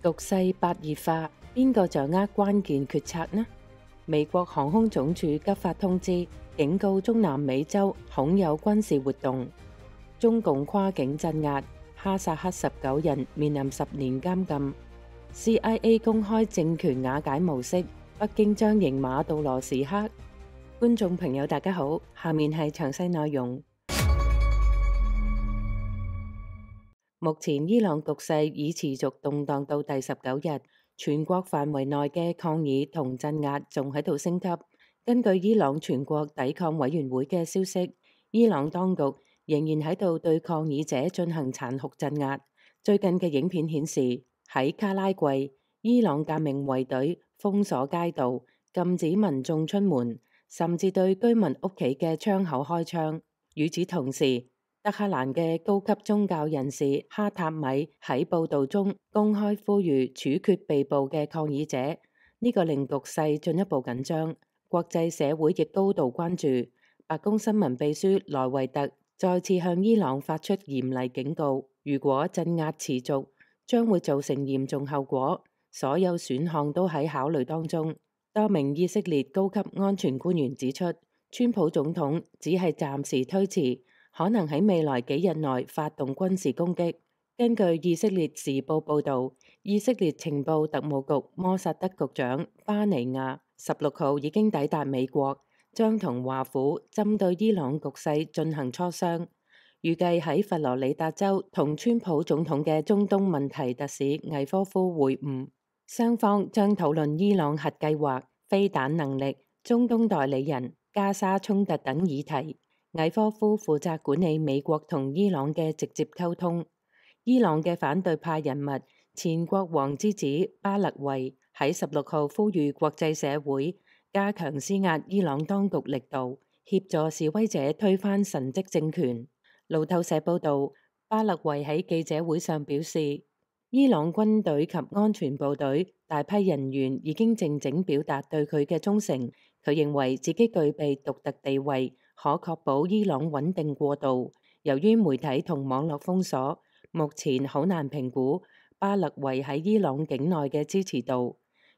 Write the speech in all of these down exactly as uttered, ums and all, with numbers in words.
局勢白熱化，邊個掌握關鍵決策呢？美國航空總署急發通知，警告中南美洲恐有軍事活動。中共跨境鎮壓，哈薩克十九人面臨十年監禁。C I A 公開政權瓦解模式，北京將迎馬杜羅時刻。觀眾朋友大家好，下面係詳細內容。目前伊朗局勢已持續動盪到第十九日，全國範圍內嘅抗議同鎮壓仲喺度升級。根據伊朗全國抵抗委員會嘅消息，伊朗當局仍然喺度對抗議者進行殘酷鎮壓。最近嘅影片顯示，喺卡拉季，伊朗革命衛隊封鎖街道，禁止民眾出門，甚至對居民屋企嘅窗口開槍。與此同時，德黑蘭嘅高級宗教人士哈塔米喺報道中公開呼籲處決被捕嘅抗議者，呢個令局勢進一步緊張。國際社會亦高度關注。白宮新聞秘書萊維特再次向伊朗發出嚴厲警告，如果鎮壓持續，將會造成嚴重後果。所有選項都喺考慮當中。多名以色列高級安全官員指出，川普總統只係暫時推遲，可能喺未來幾日內發動軍事攻擊。根據以色列時報報導，以色列情報特務局摩薩德局長巴尼亞十六號已經抵達美國，將同華府針對伊朗局勢進行磋商。預計喺佛羅里達州同川普總統嘅中東問題特使魏科夫會晤，雙方將討論伊朗核計劃、飛彈能力、中東代理人、加沙衝突等議題。魏科夫負責管理美國同伊朗嘅直接溝通。伊朗嘅反對派人物前國王之子巴勒維喺十六號呼籲國際社會加強施壓伊朗當局力度，協助示威者推翻神蹟政權。路透社報導，巴勒維喺記者會上表示，伊朗軍隊及安全部隊大批人員已經靜靜表達對佢嘅忠誠。佢認為自己具備獨特地位，可確保伊朗穩定過渡。由於媒體同網絡封鎖，目前好難評估巴勒維喺伊朗境內嘅支持度。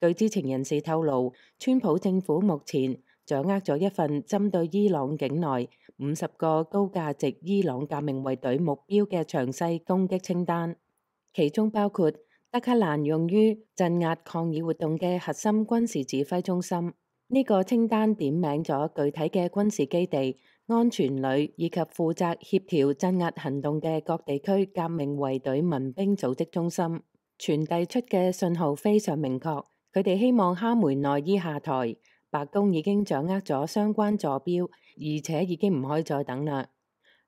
據知情人士透露，川普政府目前掌握咗一份針對伊朗境內五十個高價值伊朗革命衛隊目標嘅詳細攻擊清單，其中包括德黑蘭用於鎮壓抗議活動嘅核心軍事指揮中心。呢個清單點名咗具體嘅軍事基地、安全旅以及負責協調鎮壓行動嘅各地區革命衛隊民兵組織中心。傳遞出嘅信號非常明確，佢哋希望哈梅內伊下台。白宮已經掌握咗相關坐標，而且已經唔可以再等啦。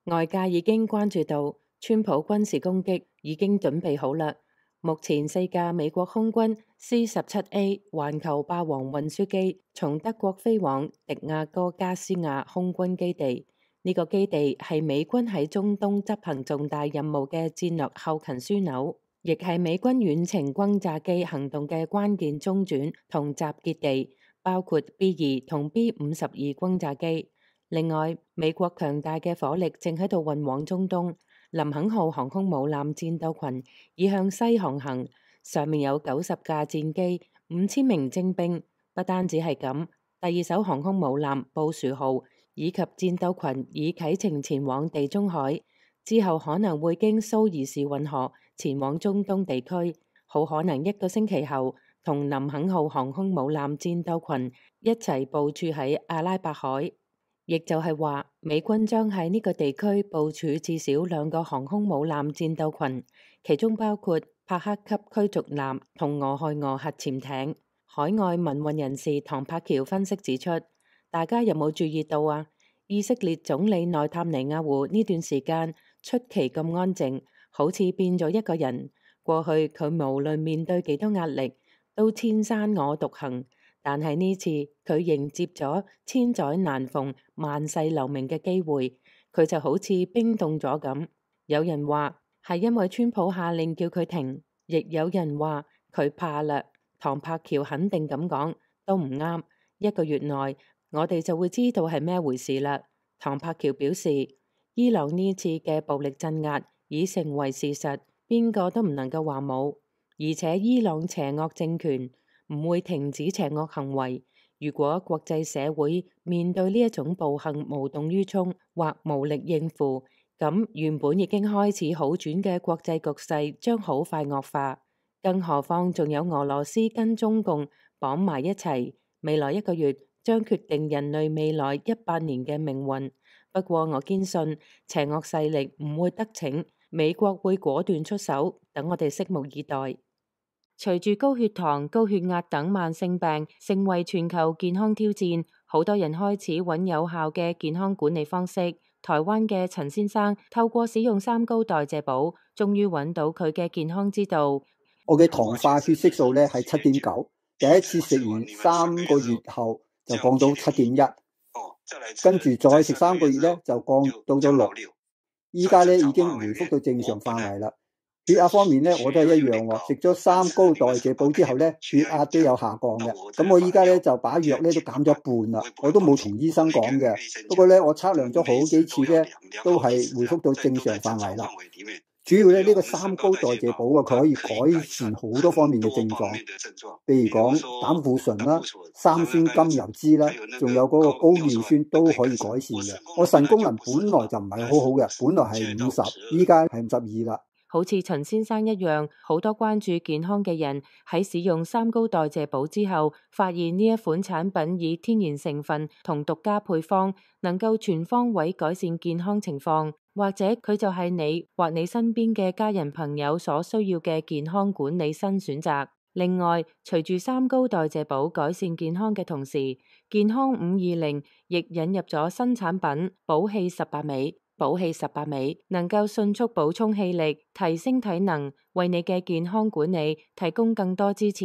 外界已經關注到川普軍事攻擊已經準備好啦。目前四架美國空軍 C 十七 A 環球霸王運輸機從德國飛往迪亞哥加斯亞空軍基地，呢、這個基地係美軍喺中東執行重大任務嘅戰略後勤樞紐，亦係美軍遠程轟炸機行動嘅關鍵中轉同集結地，包括 B 二同 B 五十二轟炸機。另外，美國強大嘅火力正喺度運往中東。林肯號航空母艦戰鬥群已向西航行，上面有九十架戰機、五千名精兵。不單止係咁，第二艘航空母艦布殊號以及戰鬥群已啟程前往地中海，之後可能會經蘇伊士運河前往中東地區，好可能一個星期後同林肯號航空母艦戰鬥群一齊部署喺阿拉伯海。亦就係話，美軍將喺呢個地區部署至少兩個航空母艦戰鬥群，其中包括帕克級驅逐艦同俄亥俄核潛艇。海外民運人士唐柏橋分析指出，大家有冇注意到啊？以色列總理內塔尼亞胡呢段時間出奇咁安靜，好似變咗一個人。過去佢無論面對幾多壓力，都千山我獨行。但係呢次佢迎接咗千載難逢、萬世留名嘅機會，佢就好似冰凍咗咁。有人話係因為川普下令叫佢停，亦有人話佢怕啦。唐柏橋肯定咁講，都唔啱。一個月內我哋就會知道係咩回事啦。唐柏橋表示，伊朗呢次嘅暴力鎮壓已成為事實，邊個都唔能夠話冇。而且伊朗邪惡政權唔會停止邪惡行為。如果國際社會面對呢一種暴行無動於衷或無力應付，咁原本已經開始好轉嘅國際局勢將好快惡化。更何況仲有俄羅斯跟中共綁埋一齊，未來一個月將決定人類未來一百年嘅命運。不過我堅信邪惡勢力唔會得逞，美國會果斷出手，等我哋拭目以待。隨住高血糖、高血壓等慢性病成為全球健康挑戰，好多人開始揾有效嘅健康管理方式。台灣嘅陳先生透過使用三高代謝寶，終於揾到佢嘅健康之道。我嘅糖化血色素咧係七點九，第一次食完三個月後就降到七點一，跟住再食三個月咧就降到咗六，依家咧已經回復到正常範圍啦。血壓方面咧，我都係一樣喎。食咗三高代謝寶之後咧，血壓都有下降嘅。咁我依家咧就把藥咧都減咗一半啦。我都冇同醫生講嘅。不過咧，我測量咗好幾次咧，都係回復到正常範圍啦。主要咧呢個三高代謝寶啊，佢可以改善好多方面嘅症狀，譬如講膽固醇啦、三酸甘油酯啦，仲有嗰個高尿酸都可以改善嘅。我腎功能本來就唔係好好嘅，本來係五十，依家係五十二啦。好似陳先生一樣，好多關注健康嘅人喺使用三高代謝寶之後，發現呢一款產品以天然成分同獨家配方，能夠全方位改善健康情況，或者佢就係你或你身邊嘅家人朋友所需要嘅健康管理新選擇。另外，隨住三高代謝寶改善健康嘅同時，健康五二零亦引入咗新產品寶氣十八味。寶氣十八味能夠迅速補充氣力，提升體能，為你嘅健康管理提供更多支持。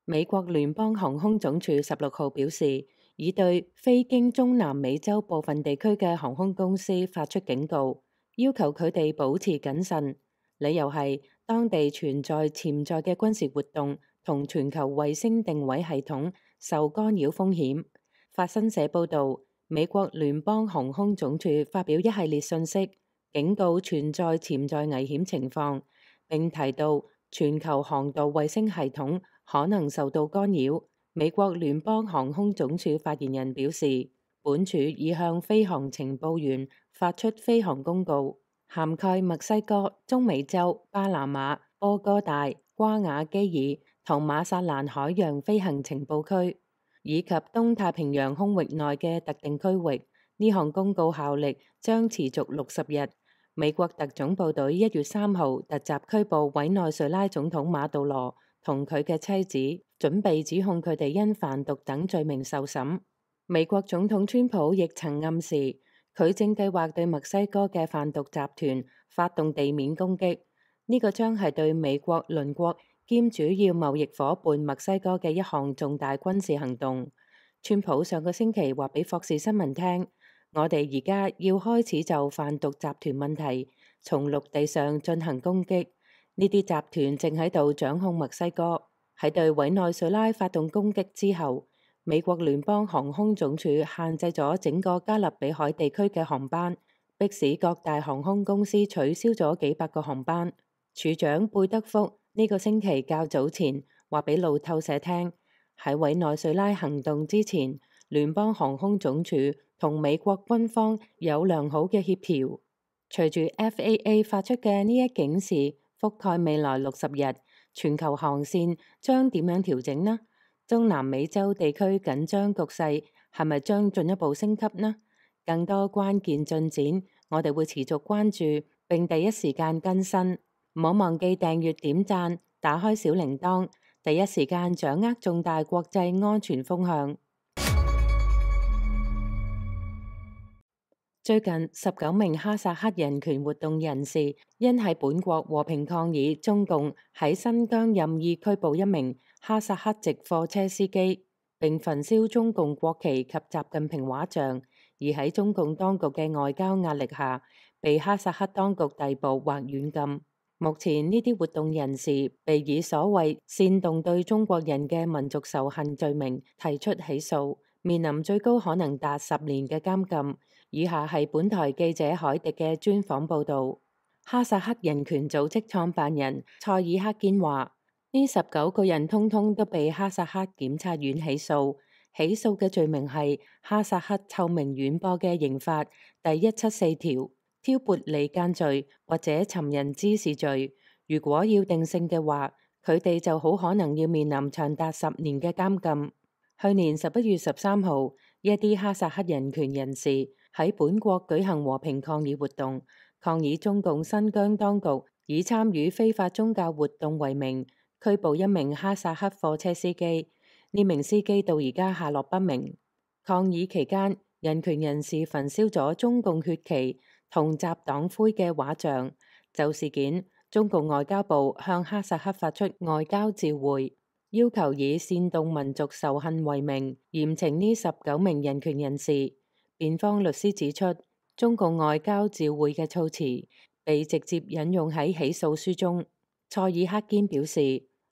美國聯邦航空總署十六號表示，已對飛經中南美洲部分地區嘅航空公司發出警告，要求佢哋保持謹慎。理由係當地存在潛在嘅軍事活動同全球衛星定位系統受干擾風險。法新社報導，美國聯邦航空總署發表一系列信息，警告存在潛在危險情況，並提到全球航道衛星系統可能受到干擾。美國聯邦航空總署發言人表示，本署已向飛航情報員發出飛航公告，涵蓋墨西哥、中美洲、巴拿馬、波哥大、瓜瓦基爾同馬薩蘭海洋飛行情報區，以及東太平洋空域內嘅特定區域。呢項公告效力將持續六十日。美國特種部隊一月三號突襲拘捕委內瑞拉總統馬杜羅同佢嘅妻子，準備指控佢哋因販毒等罪名受審。美國總統川普亦曾暗示，佢正計劃對墨西哥嘅販毒集團發動地面攻擊。呢、這個將係對美國鄰國兼主要貿易夥伴墨西哥嘅一項重大軍事行動。川普上個星期話俾霍士新聞聽，我哋而家要開始就販毒集團問題從陸地上進行攻擊。呢啲集團正喺度掌控墨西哥。喺對委內瑞拉發動攻擊之後，美國聯邦航空總署限制咗整個加勒比海地區嘅航班，迫使各大航空公司取消咗幾百個航班。處長貝德福呢個星期較早前話俾路透社聽，喺委內瑞拉行動之前，聯邦航空總署同美國軍方有良好嘅協調。隨住 F A A 發出嘅呢一警示，覆蓋未來六十日，全球航線將點樣調整呢？中南美洲地區緊張局勢係咪將進一步升級呢？更多關鍵進展，我哋會持續關注並第一時間更新。唔好忘記訂閱、點讚、打開小鈴鐺，第一時間掌握重大國際安全風向。最近十九名哈薩克人權活動人士因喺本國和平抗議中共喺新疆任意拘捕一名哈薩克籍貨車司機，並焚燒中共國旗及習近平畫像，而喺中共當局嘅外交壓力下，被哈薩克當局逮捕或軟禁。目前呢啲活動人士被以所謂煽動對中國人嘅民族仇恨罪名提出起訴，面臨最高可能達十年嘅監禁。以下係本台記者海迪嘅專訪報導。哈薩克人權組織創辦人塞爾克堅話：呢十九個人通通都被哈薩克檢察院起訴，起訴嘅罪名係哈薩克臭名遠播嘅刑法第一七四條挑撥離間罪或者尋釁滋事罪。如果要定性嘅話，佢哋就好可能要面臨長達十年嘅監禁。去年十一月十三號，一啲哈薩克人權人士喺本國舉行和平抗議活動，抗議中共新疆當局以參與非法宗教活動為名拘捕一名哈薩克貨車司機，呢名司機到而家下落不明。抗議期間，人權人士焚燒咗中共血旗同集黨徽嘅畫像。就事件，中共外交部向哈薩克發出外交照會，要求以煽動民族仇恨為名嚴懲呢十九名人權人士。辯方律師指出，中共外交照會嘅措辭被直接引用喺起訴書中。塞爾克堅表示，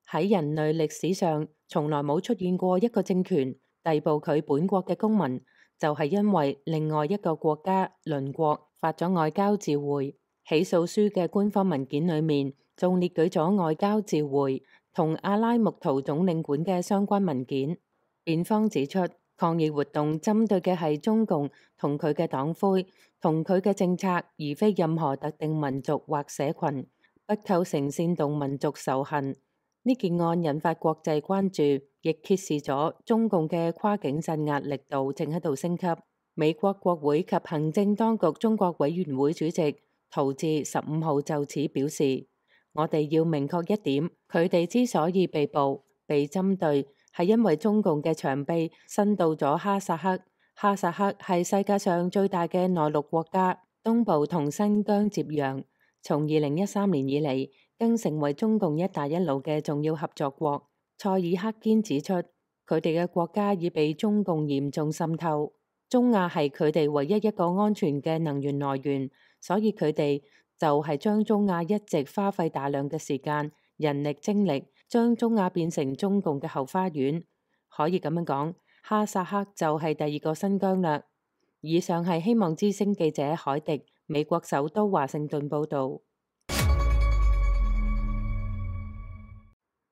喺人類歷史上從來冇出現過一個政權逮捕佢本國嘅公民，就係因為另外一個國家鄰國發咗外交照會。起訴書嘅官方文件裏面仲列舉咗外交照會同阿拉木圖總領館嘅相關文件。辯方指出，抗議活動針對嘅係中共同佢嘅黨徽同佢嘅政策，而非任何特定民族或社群，不構成煽動民族仇恨。呢件案引發國際關注，亦揭示咗中共嘅跨境鎮壓力度正喺度升級。美國國會及行政當局中國委員會主席陶志十五號就此表示：我哋要明確一點，佢哋之所以被捕、被針對，係因為中共嘅長臂伸到咗哈薩克。哈薩克係世界上最大嘅內陸國家，東部同新疆接壤，從二零一三年以嚟，更成為中共一帶一路嘅重要合作國。塞爾克堅指出，佢哋嘅國家已被中共嚴重滲透，中亞係佢哋唯一一個安全嘅能源來源。所以佢哋就係將中亞一直花費大量嘅時間、人力、精力，將中亞變成中共嘅後花園。可以咁樣講，哈薩克就係第二個新疆啦。以上係希望之聲記者海迪，美國首都華盛頓報導。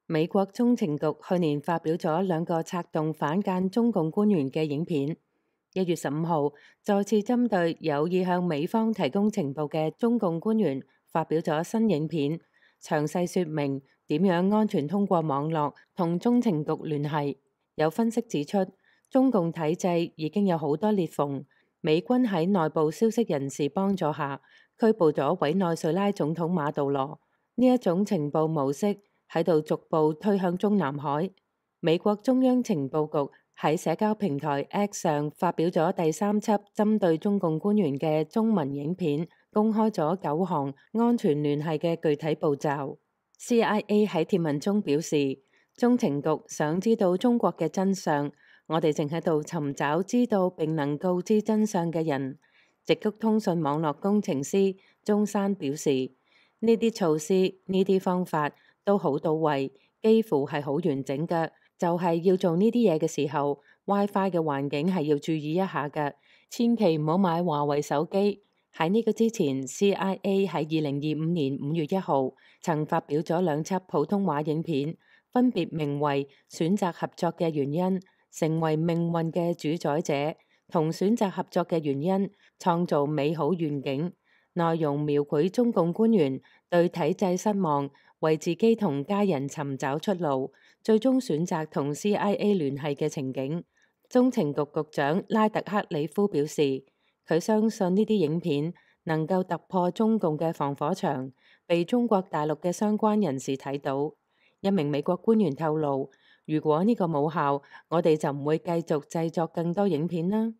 美國中情局去年發表咗兩個策動反間中共官員嘅影片。一月十五號，再次針對有意向美方提供情報嘅中共官員發表咗新影片，詳細說明點樣安全通過網絡同中情局聯繫。有分析指出，中共體制已經有好多裂縫，美軍喺內部消息人士幫助下拘捕咗委內瑞拉總統馬杜羅。呢一種情報模式喺度逐步推向中南海。美國中央情報局喺社交平台 X 上發表咗第三輯針對中共官員嘅中文影片，公開咗九項安全聯繫嘅具體步驟。C I A 喺貼文中表示，中情局想知道中國嘅真相，我哋正喺度尋找知道並能告知真相嘅人。直谷通訊網絡工程師中山表示，呢啲措施、呢啲方法都好到位，幾乎係好完整嘅。就係要做呢啲嘢嘅時候 ，WiFi 嘅環境係要注意一下嘅，千祈唔好買華為手機。喺呢個之前 ，C I A 喺二零二五年五月一號曾發表咗兩輯普通話影片，分別名為《選擇合作嘅原因》、成為命運嘅主宰者同選擇合作嘅原因，創造美好願景。內容描繪中共官員對體制失望，為自己同家人尋找出路，最終選擇同 C I A 聯繫嘅情景。中情局局長拉特克里夫表示，佢相信呢啲影片能夠突破中共嘅防火牆，被中國大陸嘅相關人士睇到。一名美國官員透露，如果呢個冇效，我哋就唔會繼續製作更多影片啦。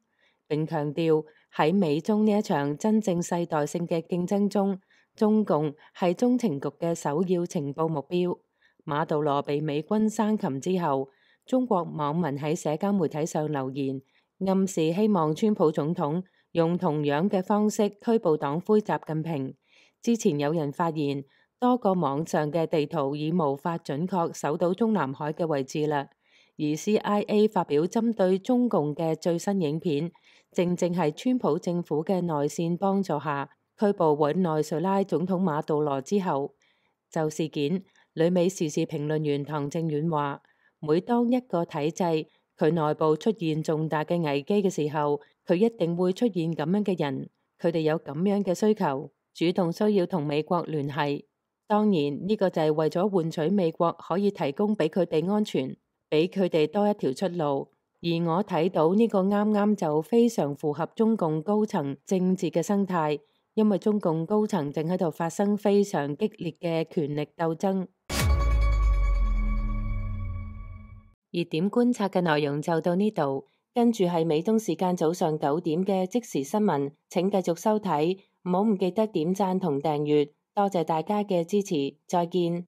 並強調喺美中呢一場真正世代性嘅競爭中，中共係中情局嘅首要情報目標。馬杜羅被美軍生擒之後，中國網民喺社交媒體上留言，暗示希望川普總統用同樣嘅方式拘捕黨魁習近平。之前有人發現多個網上嘅地圖已無法準確搜到中南海嘅位置啦，而 C I A 發表針對中共嘅最新影片，正正係川普政府嘅內線幫助下拘捕委內瑞拉總統馬杜羅之後。就事件，旅美時事評論員唐正遠話：每當一個體制佢內部出現重大嘅危機嘅時候，佢一定會出現咁樣嘅人，佢哋有咁樣嘅需求，主動需要同美國聯繫。當然呢個就係為咗換取美國可以提供俾佢哋安全，俾佢哋多一條出路。而我睇到呢個啱啱就非常符合中共高層政治嘅生態，因為中共高層正喺度發生非常激烈嘅權力鬥爭。熱點觀察嘅內容就到呢度，跟住係美東時間早上九點嘅即時新聞，請繼續收睇，唔好唔記得點讚同訂閱，多謝大家嘅支持，再見。